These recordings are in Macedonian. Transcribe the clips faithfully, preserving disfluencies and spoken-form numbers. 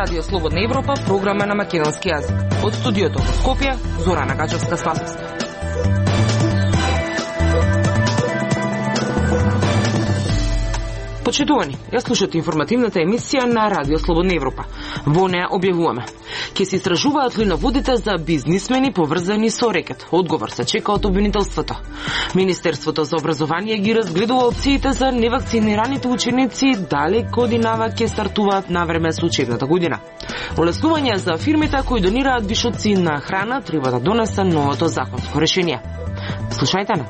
Радио Слободна Европа, програма на македонски јазик. Од студиото во Скопје, Зорана Гачевска-Спасовска. Почитувани, ја слушате информативната емисија на Радио Слободна Европа. Во неа објавуваме: ќе се истражуваат ли наводите за бизнисмени поврзани со рекет? Одговор се чека од обвинителството. Министерството за образование ги разгледува опциите за невакцинираните ученици, дали годинава ќе стартуваат на време со учебната година. Олеснување за фирмите кои донираат вишоци на храна треба да донесе новото законско решение. Слушајте на.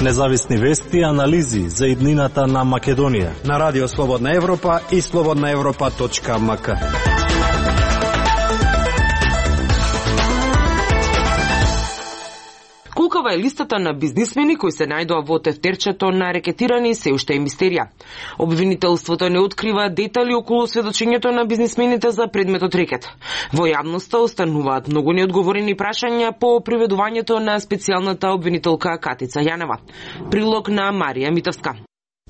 Независни вести и анализи за иднината на Македонија на Радио Слободна Европа и слободна европа точка ем ка. Колкава е листата на бизнисмени кои се најдоа во тефтерчето на рекетирани се уште е мистерија. Обвинителството не открива детали околу сведочењето на бизнисмените за предметот рекет. Во јавноста остануваат многу неодговорени прашања по приведувањето на специјалната обвинителка Катица Јанева. Прилог на Марија Митовска.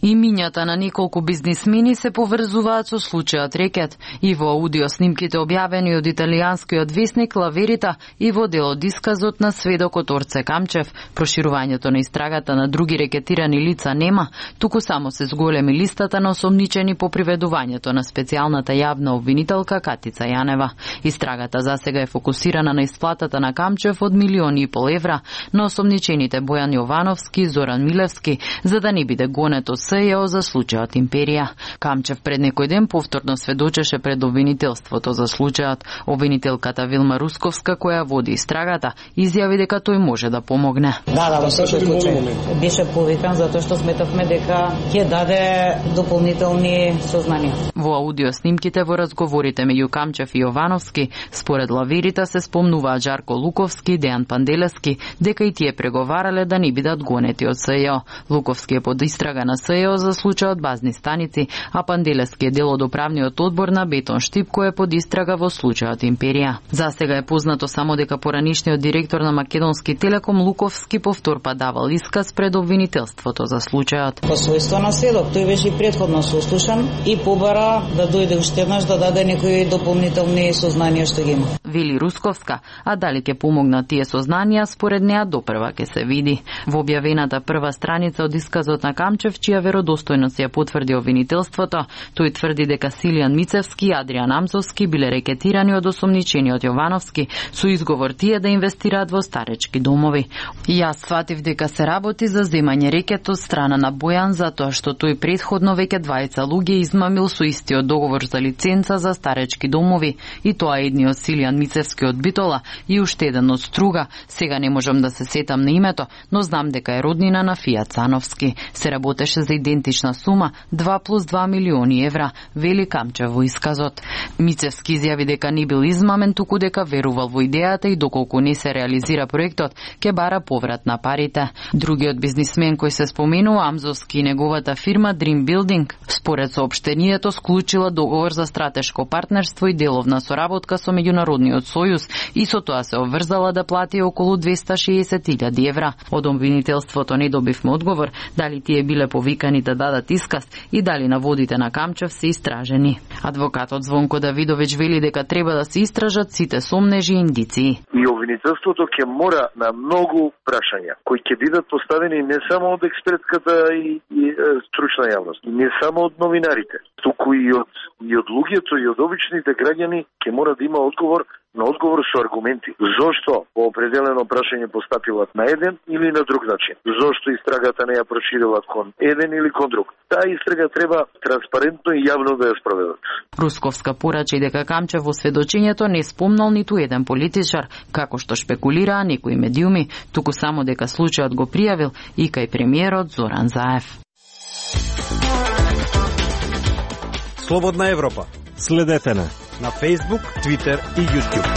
Имињата на неколку бизнисмени се поврзуваат со случајот рекет и во аудио снимките објавени од италијанскиот весник Ла Верита и во делот исказот на сведокот Орце Камчев. Проширувањето на истрагата на други рекетирани лица нема, туку само се зголеми листата на осомничени по приведувањето на специјалната јавна обвинителка Катица Јанева. Истрагата засега е фокусирана на исплатата на Камчев од милиони и пол евра на осомничените Бојан Јовановски и Зоран Милевски, за да не биде гонето СЈО за случајот Империја. Камчев пред некој ден повторно сведочеше пред обвинителството за случајот. Обвинителката Вилма Русковска, која води истрагата, изјави дека тој може да помогне. Да, да, во секој случај. Беше повикан затоа што сметавме дека ќе даде дополнителни сознанија. Во аудио снимките во разговорите меѓу Камчев и Јовановски, според Ла Верита се спомнуваат Жарко Луковски, Дејан Панделевски, дека и тие преговарале да не бидат гонети од СЈО. Луковски е под истрага на СЈО за случајот базни станици, а Панделевски е дел од управниот одбор на Бетон Штип кој е под истрага во случајот Империја. Засега е познато само дека поранишниот директор на Македонски Телеком Луковски повтор па давал исказ пред обвинителството за случајот. По својство на сведок, тој беше предходно сослушан и побара да дојде уште еднаш да даде некои дополнителни сознанија што ги има. Вели Русковска, а дали ќе помогнат тие сознанија, според неа допрва ќе се види. Во објавената прва страница од исказот на Камчев, чија веродостојност ја потврди обвинителството, тој тврди дека Силијан Мицевски и Адријан Амзовски биле рекетирани од осомничениот Јовановски со изговор тие да инвестираат во старечки домови. Јас сватив дека се работи за земање рекет од страна на Бојан затоа што тој претходно веќе двајца луѓе измамил со истиот договор за лиценца за старечки домови, и тоа едниот Силијан Мицевски од Битола и уште еден од Струга. Сега не можам да се сетам на името, но знам дека е роднина на Фија Цановски. Се работеше за идентична сума два плюс два милиони евра, вели Камчев во исказот. Мицевски изјави дека не бил измамен, туку дека верувал во идејата и доколку не се реализира проектот, ќе бара поврат на парите. Другиот бизнисмен кој се споменува, Амзовски и неговата фирма Dream Building, според соопштението склучила договор за стратешко партнерство и деловна соработка со Меѓународниот сојуз и со тоа се обврзала да плати околу двеста шеесет илјади евра. Од обвинителството не добивме одговор дали тие биле повикани да дадат исказ и дали наводите на Камчев се истражени. Адвокатот Звонко Давидовиќ вели дека треба да се истражат сите сомнежи и индиции. И обвинителството ќе мора на многу прашања кои ќе бидат поставени не само од експертската и, и е, стручна јавност, не само од новинарите, туку и од и од луѓето и од обичните граѓани ќе мора да има одговор, на одговор со аргументи. Зошто по определено прашање постапилат на еден или на друг начин? Зошто истрагата не ја проширилат кон еден или кон друг? Таа истрага треба транспарентно и јавно да ја спроведат. Русковска порачи дека Камчев во сведочењето не спомнал ниту еден политичар, како што шпекулираа некои медиуми, туку само дека случајот го пријавил и кај премиерот Зоран Заев. Слободна Европа. Следете на на Facebook, Twitter и YouTube.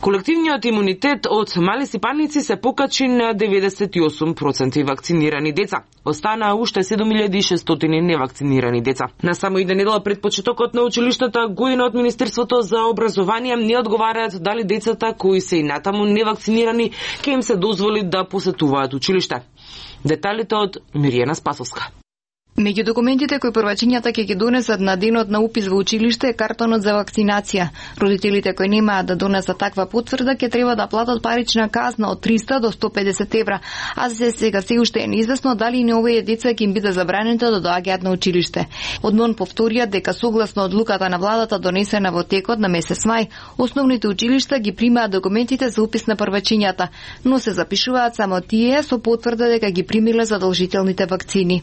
Колективниот имунитет од мали сипаници се покачи на деветдесет и осум проценти вакцинирани деца. Останаа уште седум илјади и шестстотини невакцинирани деца. На само една недела пред почетокот на училиштата, гоина од Министерството за образование не одговараат дали децата кои се и натаму невакцинирани ќе им се дозволи да посетуваат училиште. Деталите од Миријана Спасовска. Меѓу документите кои првачињата ќе ги донесат на денот на упис во училиште е картонот за вакцинација. Родителите кои немаат да донесат таква потврда ќе треба да платат парична казна од триста до сто педесет евра, а за сега се уште е неизвестно дали не овие деца ќе им биде забрането да доаѓаат на училиште. Од МОН повторија дека согласно одлуката на владата донесена во текот на месец мај, основните училишта ги примаат документите за упис на првачињата, но се запишуваат само тие со потврда дека ги примиле задолжителните вакцини.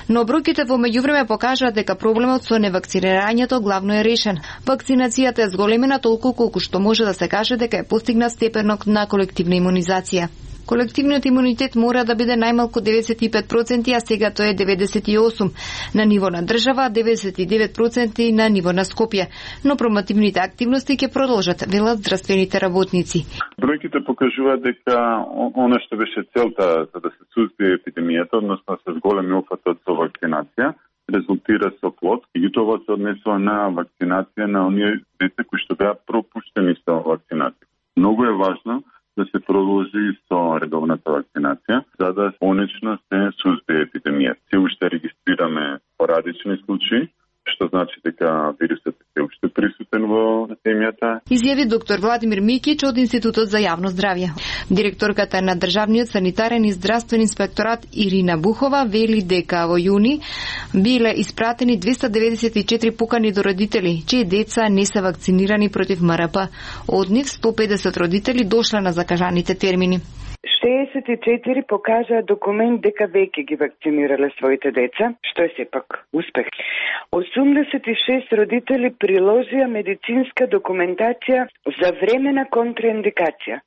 Но бројките во меѓувреме покажаат дека проблемот со невакцинирањето главно е решен. Вакцинацијата е зголемена толку колку што може да се каже дека е постигнат степенот на колективна имунизација. Колективниот имунитет мора да биде најмалку деветдесет и пет проценти, а сега тој е деветдесет и осум проценти на ниво на држава, деветдесет и девет проценти на ниво на Скопје. Но промотивните активности ќе продолжат, велат здравствените работници. Бројките покажуваат дека она што беше целта за да се сузбие епидемијата, односно се зголеми опфатот со вакцинација, резултира со плод и тоа се однесува на вакцинација на оние деца кои што беа пропуштени со вакцинација. Многу е важно да се продолжи со редовната вакцинација, за да конечно се сузбие епидемијата. Се уште регистрираме порадични случаи, што значи дека вирусот е уште присутен во земјата. Изјави доктор Владимир Микич од Институтот за јавно здравје. Директорката на Државниот санитарен и здравствен инспекторат Ирина Бухова вели дека во јуни биле испратени двеста деветдесет и четири покани до родители, чии деца не се вакцинирани против М Р П. Од нив сто педесет родители дошле на закажаните термини. шеесет и четири покажаа документ дека веќе ги вакцинирале своите деца, што е сепак успех. осумдесет и шест родители приложија медицинска документација за времена контраиндикација.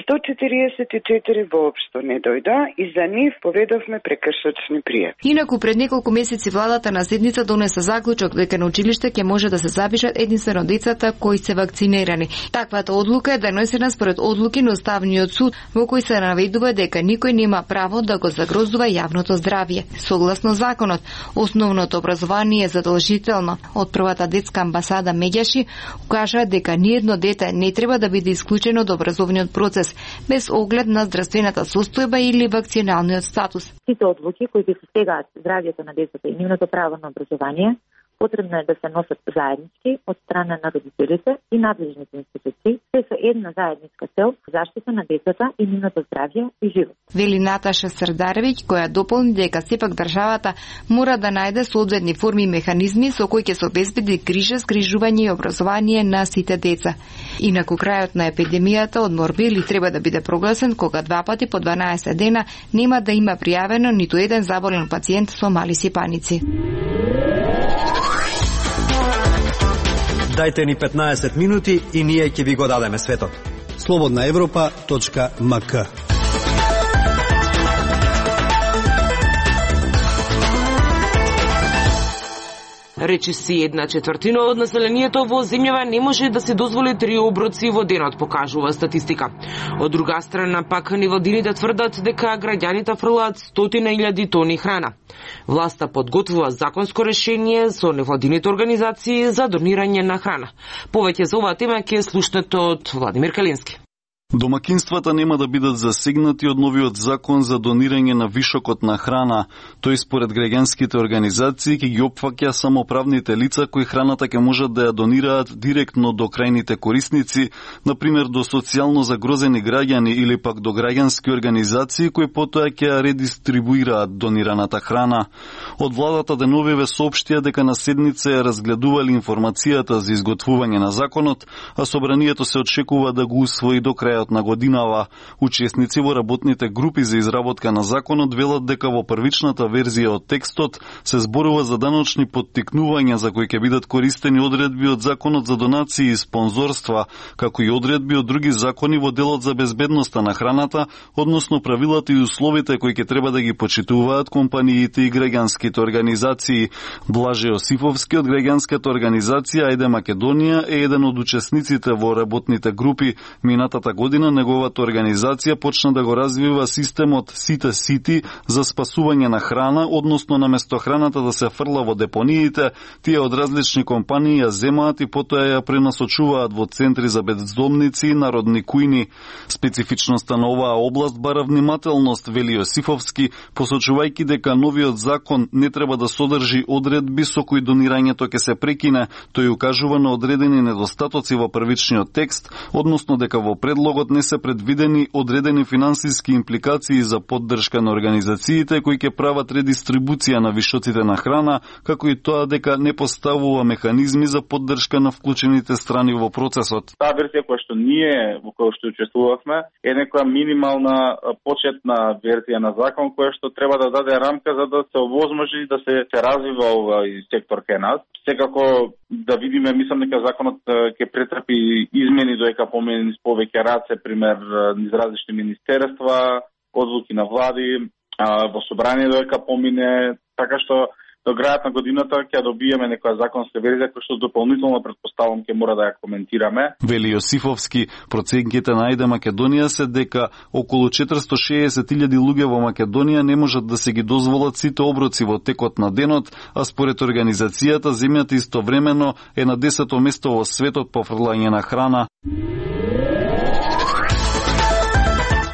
сто четириесет и четири воопшто не дојдоа и за нив поведовме прекршочни пријави. Инаку пред неколку месеци владата на седница донесе заклучок дека на училиште ќе може да се запишат единствено децата кои се вакцинирани. Таквата одлука е донесена според одлуки на Уставниот суд, во кој се наведува дека никој нема право да го загрозува јавното здравје. Согласно законот, основното образование е задолжително. Од првата детска амбасада Меѓаши кажа дека ниедно дете не треба да биде исклучено од образовниот процес, без оглед на здравствената состојба или вакциналниот статус. Сите одлуки кои ги засегаат здравјето на децата и нивното право на образование, потребно е да се носат заеднички од страна на родителите и надлежните институции, се со една заедничка цел заштита на децата и нивното здравје и живот. Вели Наташа Срдаревиќ, која дополни дека сепак државата мора да најде соодветни форми и механизми со кои ќе се обезбеди грижа, згрижување и образование на сите деца. Инаку крајот на епидемијата од морбили треба да биде прогласен кога два пати по дванаесет дена нема да има пријавено ниту еден заболен пациент со мали сипаници. Дајте ни петнаесет минути и ние ќе ви го дадеме светот. слободна европа точка м к. Речиси една четвртина од населението во земјава не може да се дозволи три оброци во денот, покажува статистика. Од друга страна пак невладините тврдат дека граѓаните фрлаат стотина илјади тони храна. Власта подготвува законско решение со невладините организации за донирање на храна. Повеќе за оваа тема ќе слушнете од Владимир Калински. Домакинствата нема да бидат засегнати од новиот закон за донирање на вишокот на храна. Тој според граѓанските организации ќе ги опфаќа само правните лица кои храната ќе можат да ја донираат директно до крајните корисници, например до социјално загрозени граѓани или пак до граѓански организации кои потоа ќе ја редистрибуираат донираната храна. Од владата деновиве соопштија дека на седница ја разгледували информацијата за изготвување на законот, а собранието се очекува да го усвои до крај крајот на годинава. Учесници во работните групи за изработка на законот велат дека во првичната верзија од текстот се зборува за даночни поттикнувања за кои ќе бидат користени одредби од законот за донации и спонзорства, како и одредби од други закони во делот за безбедноста на храната, односно правилата и условите кои ќе треба да ги почитуваат компаниите и граѓанските организации. Блаже Јосифовски од граѓанската организација Ајде Македонија е еден од учесниците во работните групи. Минатата година неговата организација почна да го развива системот Сите Сити за спасување на храна, односно наместо храната да се фрла во депониите, тие од различни компании ја земаат и потоа ја пренасочуваат во центри за бездомници и народни кујни. Специфичноста на оваа област бара внимателност, вели Јосифовски, посочувајќи дека новиот закон не треба да содржи одредби со кои донирањето ќе се прекине. Тој укажува на одредени недостатоци во првичниот текст, односно дека во предлогот не се предвидени одредени финансиски импликации за поддршка на организациите кои ќе прават редистрибуција на вишоците на храна, како и тоа дека не поставува механизми за поддршка на вклучените страни во процесот. Таа верзија која што ние во која што учествувавме е некоја минимална почетна верзија на закон која што треба да даде рамка за да се овозможи да се, се развива овој сектор кај нас. Секако да видиме, мислам дека законот ќе претрпи измени доека помени повеќе раце, пример низ различни министерства, одлуки на влади, во собрание доека помине, така што до крајот на годината ќе добиеме некоја законска верзија која што дополнително претпоставам ќе мора да ја коментираме. Вели Јосифовски, проценките на Ајде Македонија се дека околу четиристо и шеесет илјади луѓе во Македонија не можат да се ги дозволат сите оброци во текот на денот, а според организацијата земјата истовремено е на десето место во светот по фрлање на храна.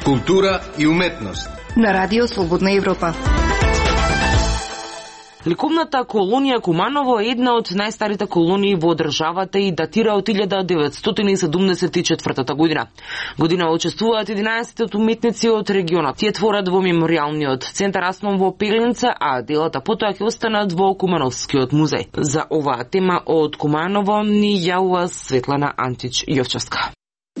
Култура и уметност на Радио Слободна Европа. Ликовната колонија Куманово е една од најстарите колонии во државата и датира од илјада деветстотини седумдесет и четвртата година. Година учествуваат единаесет уметници од регионот. Тие творат во меморијалниот центар Асном во Пелинце, а делата потоа ќе останат во Кумановскиот музеј. За оваа тема од Куманово ни јавува Светлана Антич Јовчевска.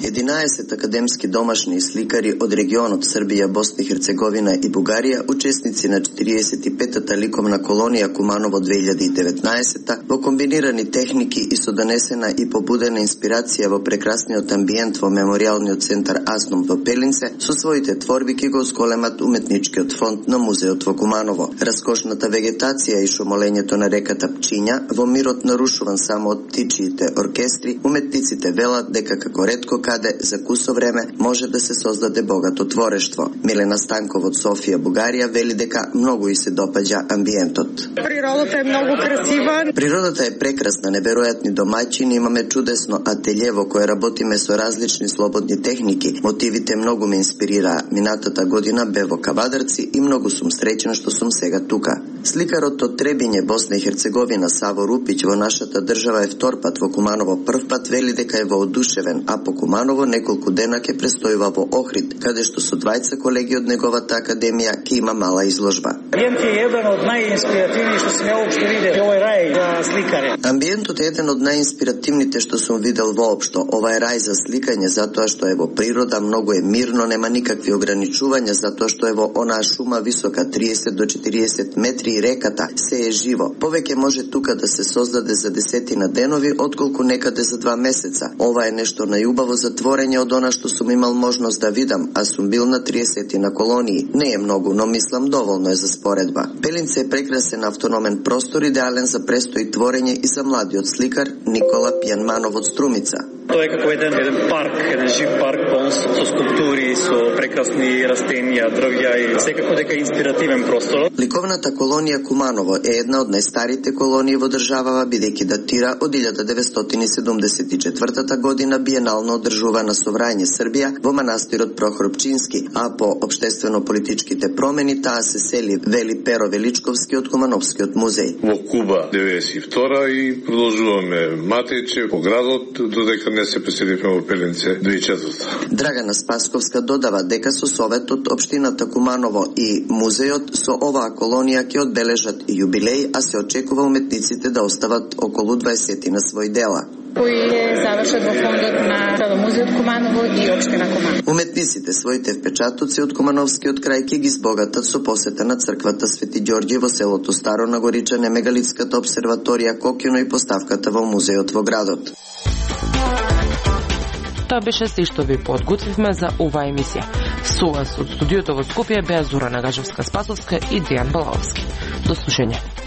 единаесет академски домашни сликари од регионот Србија, Босна и Херцеговина и Бугарија, учесници на четириесет и петата ликовна колонија Куманово две илјади и деветнаесета, во комбинирани техники и со донесена и побудена инспирација во прекрасниот амбиент во меморијалниот центар Асном во Пелинце, со своите творби ќе го зголемат уметничкиот фонд на музеот во Куманово. Раскошната вегетација и шумолењето на реката Пчиња, во мирот нарушуван само од птичиите оркестри, уметниците велат дека како ретко каде за кусо време може да се создаде богато творештво. Милена Станков од Софија, Бугарија, вели дека многу и се допаѓа амбиентот. Природата е многу красива. Природата е прекрасна, неверојатни домаќини, имаме чудесно ателје во кое работиме со различни слободни техники. Мотивите многу ме инспирираа. Минатата година бе во Кавадарци и многу сум среќен што сум сега тука. Сликарот од Требиње, Босна и Херцеговина, Саво Рупиќ, во нашата држава е втор пат, во Куманово прв пат, вели дека е воодушевен, а по Куманово неколку дена ќе престојува во Охрид, каде што со двајца колеги од неговата академија ќе има мала изложба. Амбиент е еден од најинспиративни што сум ја општо видел. Овој рај за сликари. Амбиентот е еден од најинспиративните што сум видел воопшто. Ова е рај за сликање затоа што е во природа, многу е мирно, нема никакви ограничувања затоа што е во онаа шума висока триесет до четириесет метри и реката се е живо. Повеќе може тука да се создаде за десетина денови отколку некаде за два месеца. Ова е нешто најубаво за творење од она што сум имал можност да видам, а сум бил на триесет на колонии. Не е многу, но мислам доволно е за споредба. Пелинце е прекрасен автономен простор, идеален за престој творење и за младиот сликар Никола Пјанманов од Струмица. Тоа е како еден, еден парк, еден жив парк полн со скулптури, со прекрасни растенија, дрвја и секако дека е инспиративен простор. Ликовната колонија Куманово е една од најстарите колонии во државава, бидејќи датира од илјада деветстотини седумдесет и четвртата година, биенално одржувана со Врање Србија во манастирот Прохор Пчински, а по општествено-политичките промени таа се сели, вели Перо Величковски од Кумановскиот музеј. Во Куба деветдесет и втора и продолжуваме матече по градот додека не се преселивме во Пелинце две илјади и четврта. Драгана Спасковска додава дека со советот, општината Куманово и музеот со оваа колонија ќе одбележат и јубилеј, а се очекува уметниците да остават околу дваесет на свој дела. кои завршат во фондот на Музеот Куманово и општина Куманово. Уметниците своите впечатоци од Кумановскиот крај ќе ги збогатат со посета на црквата Свети Ѓорѓе во селото Старо Нагоричане, мегалитската обсерваторија Кокјуно и поставката во музеот во градот. Тоа беше се што ви подготвивме за оваа емисија. Со вас од студиото во Скопје беа Зора Нагажевска-Спасовска и Дејан Балаовски. До слушање.